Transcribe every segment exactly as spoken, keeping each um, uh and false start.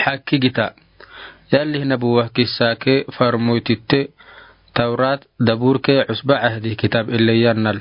Akki gita. Yalli hinabuwa kissa ke farmoytitte, Tawrat, Dabur ke Usba Ahdi kitab ille yannal.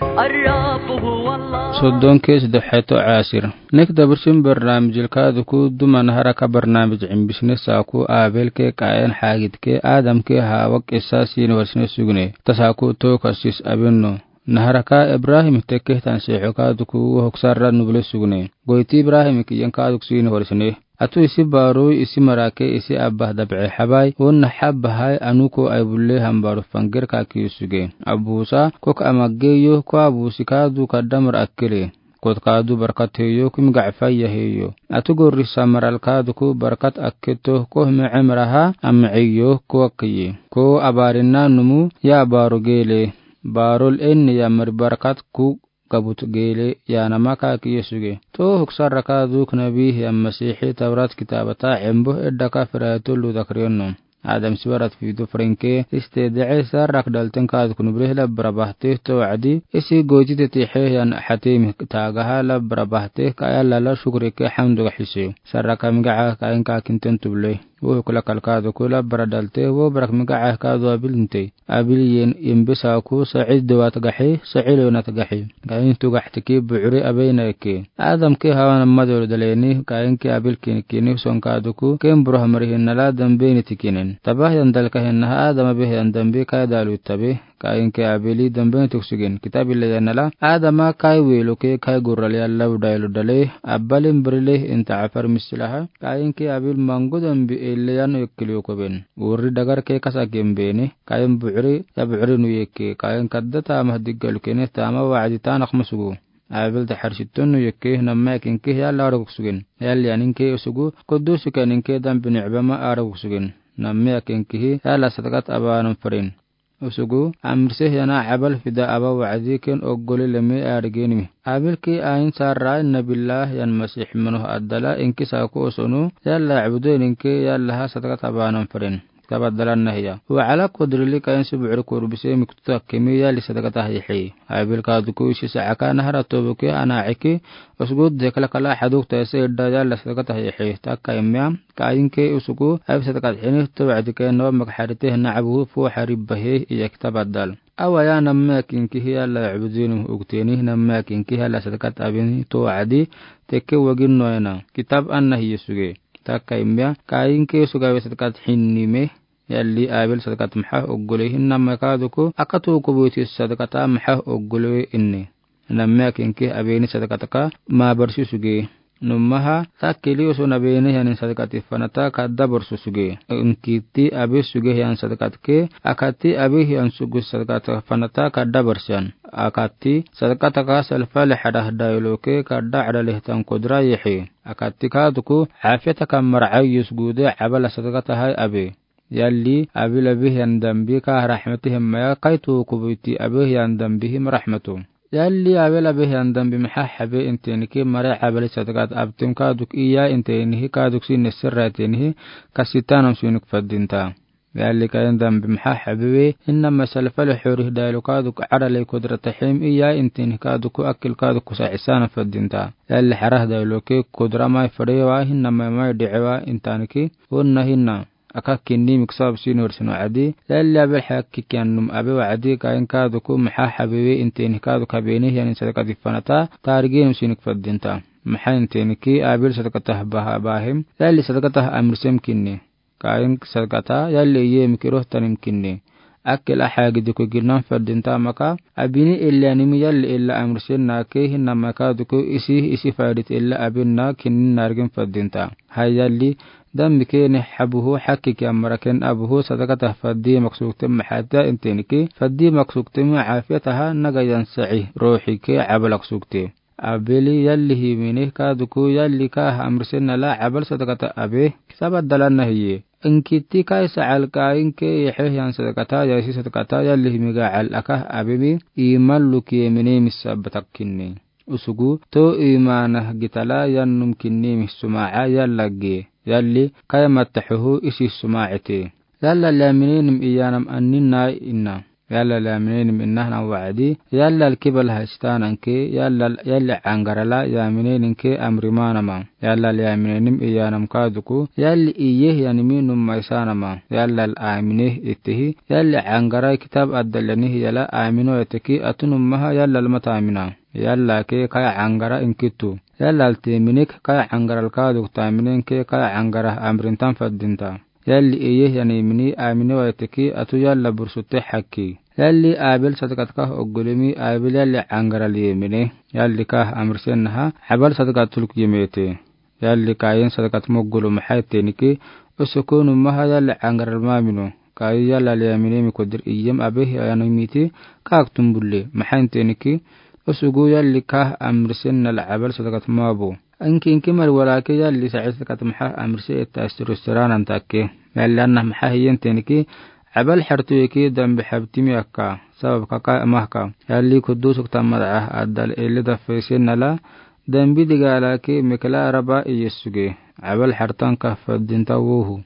Soddon ke sidexeto asir. Nek dabursin barnaamijil kaaduku duma naharaka barnaamij imbisne saaku Abel ke Qayen hagid ke Adam ke Hawa kissa sin warsne sugne. Tasaaku to kasis abinno. Naharaka Ibrahim tekke tansiixo kaaduku wohok sarra nubule sugne. Goyti Ibrahim kiyen kaaduk sin warsne. Atu isi baaroi isi marake isi abba dabce habai, wonna habba hai anuko ai bulle hambaru fanger kaki suge. Abusa, kok amagge yo, ko abusi kaadu kaddamar akkele. Kot kaadu barkat heyo, kum gacfaya heyo. Atu gorri samaral kaaduku barkat akketo, ko hme emraha, amce yo, ko akkiye. Ko abarina numu, ya baaru gele. Baarol enne ya mari barkat ku gabut gele yanama kaki suge. To hoksarra kaaduk nabi ya Masihi Tawrat kitabata embo edda ka firato lu dakriyono. Adam sibarat fidu frenke iste dece sarrak dalten kaaduk nubre labbara bahte to wacdi isi goji tetixe yan hatim tagaha labbara bahte ka yallala shukri ke hamdu ga hise. Sarraka migaca ka inka kinten tuble. Wo kula kalkaadu kula bara dalte, wo barak migaca kaadu abil inte. Abil yen imbe saaku, Sa'id dewat gaxe, Sa'il yonat gaxe. Qayin tu gaxtiki bucuri abeyna eke. Adam ke Hawa namma dolo daleni, Qayin ke Abil kinikini son kaaduku, ken buruh mari hinnala dambe ni tikinen. Tabah yan dalka hinnaha Adam abe yan dambe kai dalu tabe. Qayin ke Abili dambe ni tuksugen. Kitab ille yannala, Adama kai welo ke kai gurral yalla udaylo dale, abbalin birile inta afar misilaha. Qayin ke Abil mangu dambe ille yan ekkili okoben. Urri dagar ke kasa gembeni, Qayin bucuri, ya bucuri nu yeke, Qayin kadda tama diggalu kene tama wacdi tanak musugu. Abil taxar sitton nu yeke, namma kinke yalla araguk sugen. Yalli aninke usugu, kuddusu keninke dambe nicbama araguk sugen. Namma kinkihi, yalla sadaqat abanan farin. Usugu, amrise yana abal fida aba wacdi ken oggole leme argenimi. Abil ke ayin sarra nabillah yan Masih manoh addala inki saaku osonu, yalla abudu ninke yalla ha sadaqat abanan farin. Kabaddalan nahiya. Wa ala kodrili Qayin si bucuri korbise miktuta kemi yalli sadaqata hihi. Abil kaaduku isi saaka nahara tobuke ana eki, usugu dekla kala haduk taise idda yalla sadaqata hihi. Takka imya, Qayin ke usugu, Abil sadaqat hini to wacdi ke no mak harite hina abuhu fu harib bahe iya kitab addal. Awa ya namma kinkihi yalla abudu ninke ukteni, namma kinkihi yalla sadaqat abin to wacdi, tekke wagin noyana. Kitab anna hiye suge. Takka imya, Qayin ke suga we sadaqat hinni me, yalli Abil sadaqat maxa oggole hin namma kaaduku, akatu kubuti sadaqata maxa oggole inni. Namma kinke abeni sadaqataka ma barsi suge. Nummaha, takkeli oson abeni yanin sadaqati fanata kadda barsu suge. Inkiti abi suge yan sadaqatke, akati abi yan sugu sadaqata fanata kadda barsian. Akati sadaqataka salfale hadah dayloke kadda adaleh tan kodra yehe. Akati kaaduku, afiyataka mar'a yusgude abala sadaqata hai abi. Yalli, Abil abi yan dambi ka rahmati hemmaya kaitu kubuti abi yan dambi him rahmatu. Yalli, Abil abi yan dambi maxa habe intenike mare abali sadaqat abtim kaaduk iya intenihi kaaduk si nesirra tenihi kasitanam sunik faddinta. Yalli, Qayin dambi maxa habe we, innama salfale xorih daylo kaaduk adale kodrata him iya intenihi kaaduk akil kaaduk kusa isana faddinta. Yalli, harah dayloke kodra mai farewa, hinnama mai dicewa intanike, wonna hinna. Aka kinni miksab sinor sino adi, yalli Abil haki kiannum abi wacdi Qayin kaaduku maxa habiwe inteni kaaduk abeni yanin sadaqati fanata, tarigin sinik faddinta. Maxa inteni ki Abil sadaqatah baha bahim, yalli sadaqatah amirsem kinni. Qayin sadaqata, yalli iye mikiroh tanim kinni. Akil aha gidiku ginan faddinta maka, abini illa nimi yalli illa amirsem nake hinnama kaaduku isi, isi faidit illa abin na kinni nargin faddinta. Hay yalli, dambi kene habuhu haki kiamara ken abuhu sadaqata faddi maksukte maxa ta inteni ki, faddi maksukte ma afiyataha naga yan sa'i, rohi ke abal aksukte. Abili yalli himine kaaduku yalli ka amrisen nala abal sadaqata abe, sabaddalan nahiye. Inkiti kai sa'al Qayin ke yehe yan sadaqata, yasi sadaqata yalli himiga al aka abemi, iman lukiye mine misa batakkinni. Usugu, to imanah gitala yannum kinni mih suma'a yallagge. Yalli, kaya mattahuhu isi suma'ete. Yalla laminenim iyanam annin nai inna. Yallal yaminenim inahana wacdi, yallal kibal hastana ke, yallal yalli cangarala yaminenim ke amri mana ma. Yallal yaminenim iyanam kaduku, yalli iye yanimi numai sana ma. Yallal amine itehi, yalli cangara kitab adal yani yala amino eteki atu numaha yallal mata amina. Yalla ke kaya cangara inkitu. Yallal teminik kaya cangaral kaduk taminen ke kaya cangara amrintan faddinta. Yalli iye yani mini amine wa eteki atu yalla bursutte haki. Yalli Abel sadaqat kah oggolumi Abel yalli cangaral yemine. Yalli kah amrisen naha Abel sadaqat tuluk yemete. Yalli Kayin sadaqat moggolu maha teniki, osuku numaha yalli cangaral mamino. Kayin yallal yaminemi kodir iyem abe yani miti kak tumbulle. Maha teniki, osugu yalli kah amrisen nala Abel sadaqat mabo. Inki inki mar walaki yalli sa'i sadaqat maha amrise eta astirustiranan takke. Yalli anna maha hiyen teniki, Abel hartu eki dambi habtimi akka. Sabab kaka mahka. Yalli kudusuk tamada adal ele dafesen nala, dambi digalaki mekla raba iyesuge. Abel hartan kah faddinta wohu.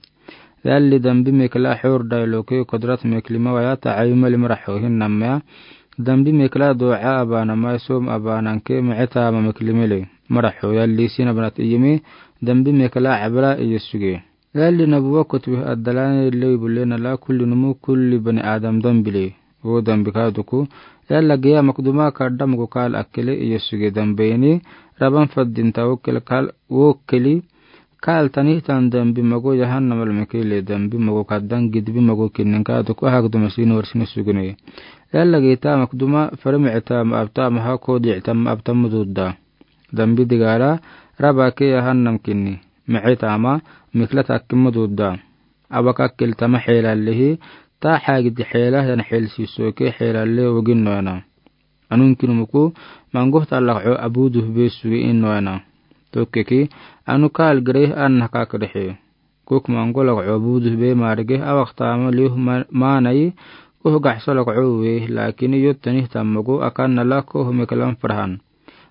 Yalli dambi mekla hur dailoke kodrat meklima waya ta ayuma limra hohin namya. Dambi mekla doa abana mai som abananke meceta ma meklimele. Mara ho yalli sina banat iyimi dambi mekla abla iyesuge. Yalli nabuwa kutbi adalani lewi bule nala kulli numu kulli bani Adam dambile. Wo dambi kaduku. Yalla geya makduma kadda mugu kal akele iyesuge dambeni. Raban faddinta wo kele kal wo keli. Kal tanihtan dambi mago yahanna malmekele dambi mago kaddan gidbi mago kinnin kaduku ahak duma sinu warsini sugune. Yalla geta makduma farmi eta ma abta maha kodi eta ma abta mududda. Dambi digala raba ke yahannam kinni. Mece tama mikla takki mududda. Abaka kiltama xeelallihi ta xaagidi xeela yan xeelsiisoke xeelalle woginnoyana. Anun kinumuku mangohta lakco abuduh be suge innoyana. Tokkeki anu kaal gireh anna kakrixe. Kuk mango lakco abuduh be marigeh awak tama liuh maanayi kuh gaxso lakco we lakini yottani tammago akanna la kuh meklan farhan.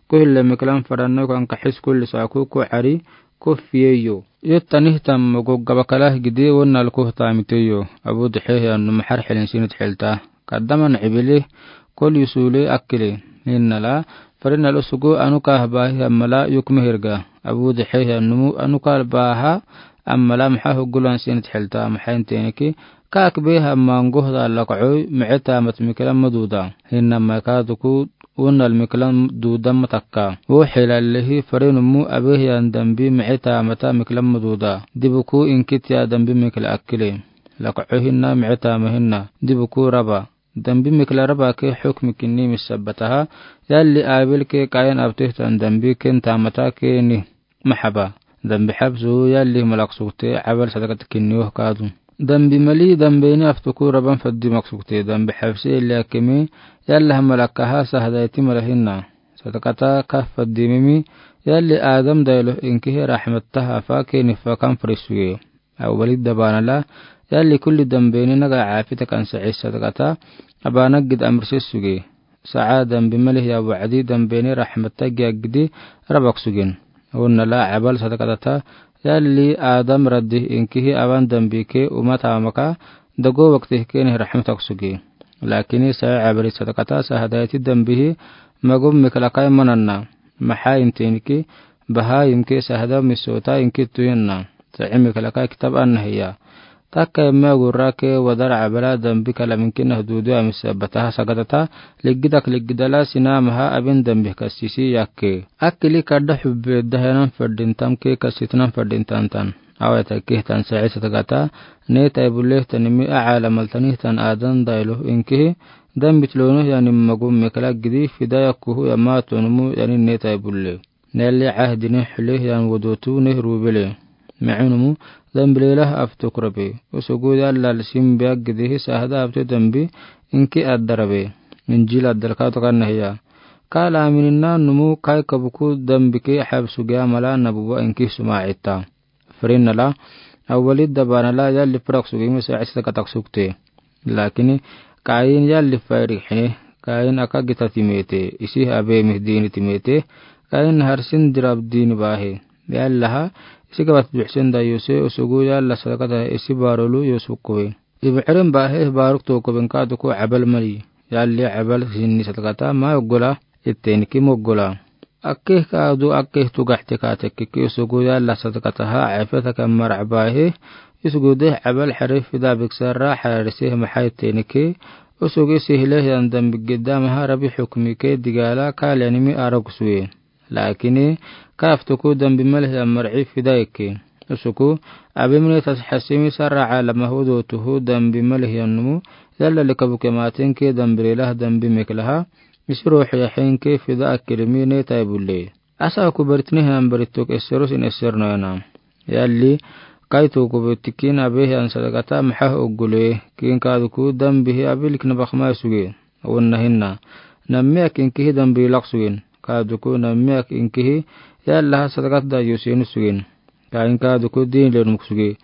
Kuhille meklan farhanno kan kaxis kulli saaku ku cari ku fiyeyo. Yottani tammago gabakalah gidi wonnal kuh tamiteyo. Abuduh xeehiyan numa xar xilin sinit xilta. Kaddaman cibili kol yusule akkile. Hinnala farinal usugu anu kah bahi ammala yukme hirga. Abuduh xeehiyan numu anu kal baha ammala maxa hugulan sinit xilta maxa inteniki. Kaak beha mangohda lakcoy mece tamat miklan maduda. Hinna makaduku wonnal miklan dudan matakka. Wo xeelallihi farinumu abehiyan dambi mece tamata miklan maduda. Dibuku inkitiya dambi mikla akkile. Lakcoy hinna mece tama hinna. Dibuku raba. Dambi mikla raba ke xukmi kinni misabbataha. Yalli Abil ke Kayin abtihtan dambi ken tamata keni. Maxaba. Dambi xabsu yalli malak sugte Abal sadaqat kinni woh kadu. Dambi mali dambeni aftuku raban faddi mak sugte dambi xabsi yalli akemi. Yalla ha malakaha sahdayti mala hinna. Sadaqata kah faddi mimi. Yalli Adam daylo inkihi raxmattaha fa keni fa kan fari suge. Awwalidda baanala yalli kulli dambeni naga caafita kan sa'i sadaqata abaanaggid amrise suge. Sa'a dambi malihiya wacdi dambeni raxmatta giyaggidi rabak sugen. Wonnala Abal sadaqatata yalli Adam raddi inkihi aban dambi ke umatamaka dago waktih keni raxmatak suge. Lakini sa'i Abali sadaqata sahdayti dambihi magum miklakai mananna. Maxa intinki baha imke sahda misota inki tuyanna. Sa'i miklakai kitab anna hiya. Takka emme gurra ke wadar Abala dambi kala minkinah dudu amisa bataha sagadata liggidak liggidala sina maha abin dambi kasisi yakke. Akkili kadda xubbe dahenan fadintam ke kasitnan fadintantan. Aweta kihtan sa'i sadaqata ne taibuleh tanimi a'ala maltanihtan adan dailoh inkihi dambi tilonoh yanim magum mekala gidi fida yakkuhu yama tonumu yanin ne taibuleh. Nelli cahdini xulih yan wodotu ne rubele. Macunumu dambilelah aftukrabe. Usugu yallal simbiya gidihi sahda abte dambi inki addarabe. Injil addalka tokanna hiya. Kala amininna numu kai kabuku dambi ke xabsugiya mala nabuwa inki suma ita. Farinnala awwalidda baanala yalli farak sugimi sa'i sadaqatak sugte. Lakini Kayin yalli fayrik xine Kayin aka gita timete isi abemih dini timete. Kayin harsin dirab dini bahe. Yallaha isi gabat duxsen dayuse usugu yalla sadaqata isi barolu yusukkuwe. Iburen baahe baaruk tookuben kaadu ko cabal mali. Yalli cabal sinni sadaqata ma oggola, itteeniki ma oggola. Akkeh kaadu akkeh tugaxte kaatekkeke usugu yalla sadaqataha cafeta kan marac baahe, usugu deh cabal xare fida biksara xararise maxa itteeniki, usugu isi hile hiyan dambi gidda maha rabi xukmike digaala kaaliyanimi arag suwe. Laakini kaaftuku dambi mali hiyan marci fida ikke. Usuku abimni tasxasimi sara caalama hudootuhu dambi mali hiyan numu, yalla likabuke maatinke dambi lelah dambi meklaha, isi ruuxu yaxenke fida akkilimine taibulle. Asa aku baritni hiyan barituk esserusin essernoyana. Yalli kaitu kubetikin abe hiyan sadaqata maxa oggule, kin kaaduku dambihi abilik nabakma suge. Wonna hinna. Nammiyak inkihi dambi lak sugen. Kaaduku nammiyak inkihi yallaha sadaqat dayusin sugen. Kaayin kaaduku diin lenmuk suge.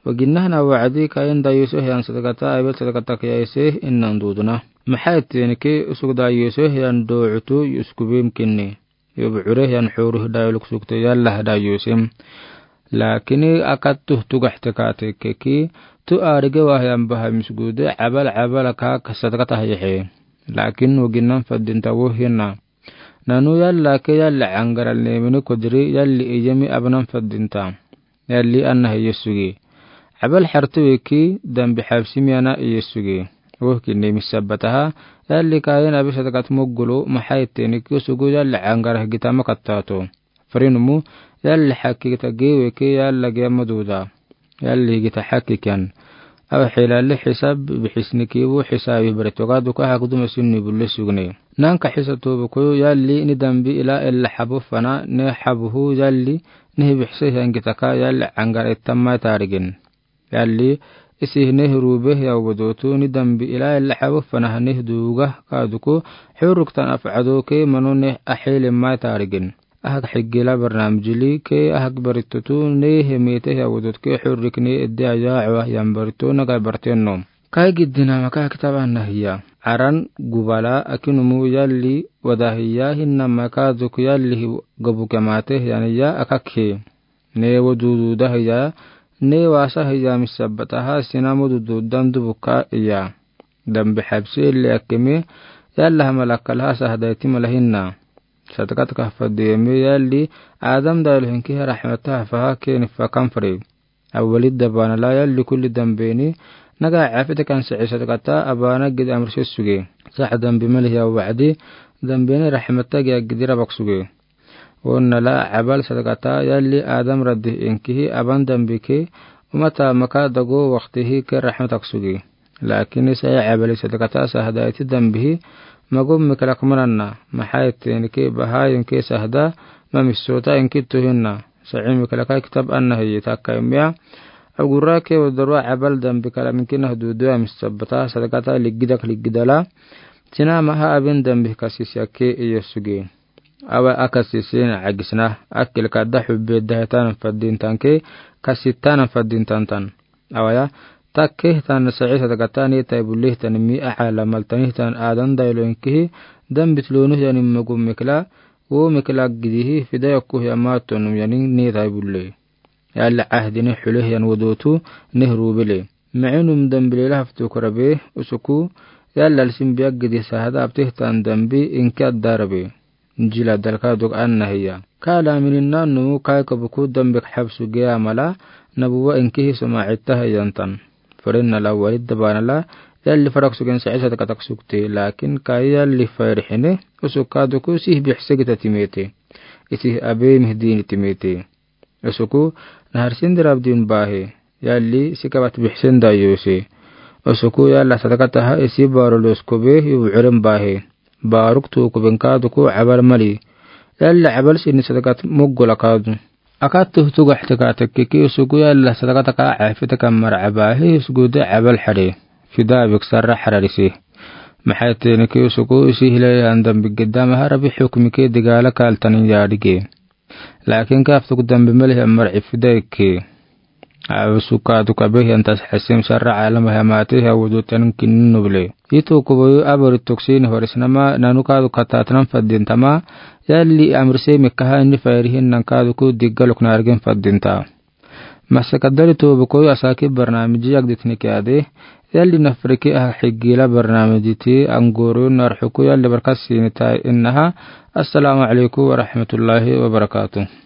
Waginnahana wacdi kaayin dayuse hiyan sadaqata abil sadaqata kiyaise innan duduna. Maxa itteeniki usug dayuse hiyan doocutu yuskubim kinni. Yub cure hiyan xuru hidayoluk sugte yallaha dayusim. Laakini akattuh tugaxte kaatekkeki, tu aarige wahiyan baha misgude cabal cabal kaak sadaqata hayaxe. Laakin waginnan faddinta wo hinna. Nanu yalla ke yalli cangaral neemini kodiri yalli iyemi abnan faddinta. Yalli anna hiye suge. Cabal xartu weki dambi xabsimi ana iye suge. Wohki neemi sabbataha, yalli kaayin abi sadaqat moggulu maxa itteeniki usugu yalli cangarah gitama kattato. Farinumu, yalli xakki gita geeweke yalla geema duda. Yalli gita xakki kiyan. Awa xilalli xisab bixisniki wo xisaabi baritoga duka hagduma sinni bulle sugne. Nanka xisa tubuku yalli ni dambi ila ella xabu fana ne xabuhu yalli neh bixise hiyan gitaka yalli cangar ittamma taarigin. Yalli isi neh ruube hiya wodotu ni dambi ila ella xabu fana neh duuga kaaduku xuruktan afcadoke manu neh axeelimma taarigin. Ahak xiggila barnaamijili ke ahak baritotu ne hemete hiya wodotke xurikne edde ayaacawa hiyan barito naga barteno. Kai giddina maka kitab anna hiya. Aran gubala akinumu yalli wada hiya hinna maka duk yalli gabuke mate hiyaniya akak hi. Ne wo dududa hiya, ne wasa hiya misabbataha sina mo dududan dubuka iya. Dambi xabsi illi akkeme, yalla hama lakkalha sahdayti mala hinna. Sadaqat kahfadiyeme yalli, Adam daylo hinki raxmataha faha keni fakan fari. Awwalid dabaanala yalli kulli dambeni, naga cafite kan saci sadaqata abana gid amrse suge. Sax dambi mali hiya wacdi, dambeni raxmata giya gidi rabak suge. Wonnala cabal sadaqata yalli Adam raddi inkihi aban dambike, umata maka dago waqtihi ke raxmatak suge. Laakini saci cabali sadaqata sahdayti dambihi magum miklak mananna, maxa itteenike baha inke sahda ma missoota inki tuhinna. Saci miklaka kitab anna hiyi takka imiya. Agurake wodorwa cabal dambi kala minkinah duduya misabbata sadaqata liggidak liggidala. Sina maha abin dambi kasisya ke iyo suge. Awa akasisin cagisna, akil kadda xubbe dahetanan faddintanke, kasitanan faddintantan. Awaya, takke tan saci sadaqata ne taibulle tan mi aca lamal tani tan Adam daylo inkihi, dambit lonu hiyanin magum mikla, wo mikla gidihi, fida yakku hiya matonum yanin ne taibulle. Yalla cahdini xule hiyan wodotu neh ruubele. Macinum dambi lela haftu kurabe, usuku, yalla alsin biya gidi sahada abtihtan dambi inki addarabe. Jila dalka duk anna hiya. Kala minin nannu kai kabuku dambi xabsu geya mala, nabuwa inkihi soma citta hiyantan. Farinnala walid dabaanala, yalli farak sugen saci sadaqatak sugte, lakin kai yalli fayrixine, usuka duku sih bixse gita timete. Isih abe mihdini timete. Usuku, naharsin dirabdin baahe. Yalli, sikabat bixsen dayuse. Usuku, yalla sadaqataha isi baro loskobe, yu bucuren baahe. Baruk tukuben kaduku cabal mali. Yalla cabal sini sadaqat mugula kadu. Akattuh tugaxte katekkeki usuku yalla sadaqataka cafitaka maraca baahe, usuku de cabal xare. Fida biksara xararise. Maxa itteeniki usuku isi hile hiyan dambi gidda maha rabi xukmike digala kaltanin yadige. Lakin kaftuk dambi mali hiyan marci fida ikke. Awa suka duka be hiyan tasxasim sara calama hiya mate hiya wudu tanin kinni nuble. Itu kuboyu abari tuksini horisnama nanu kadu katatnan faddintama, yalli amrise mikaha inni fayrihin nan kaduku diggaluk nargin faddinta. Masa kadari tubu koyu asaki barnamiji yagditni kiyade, Yali Nafriki Aha Higi la barnaamiji ti angoro narhuku yali barka sinita inaha. Assalamu alaikum warahmatullahi wabarakatuh.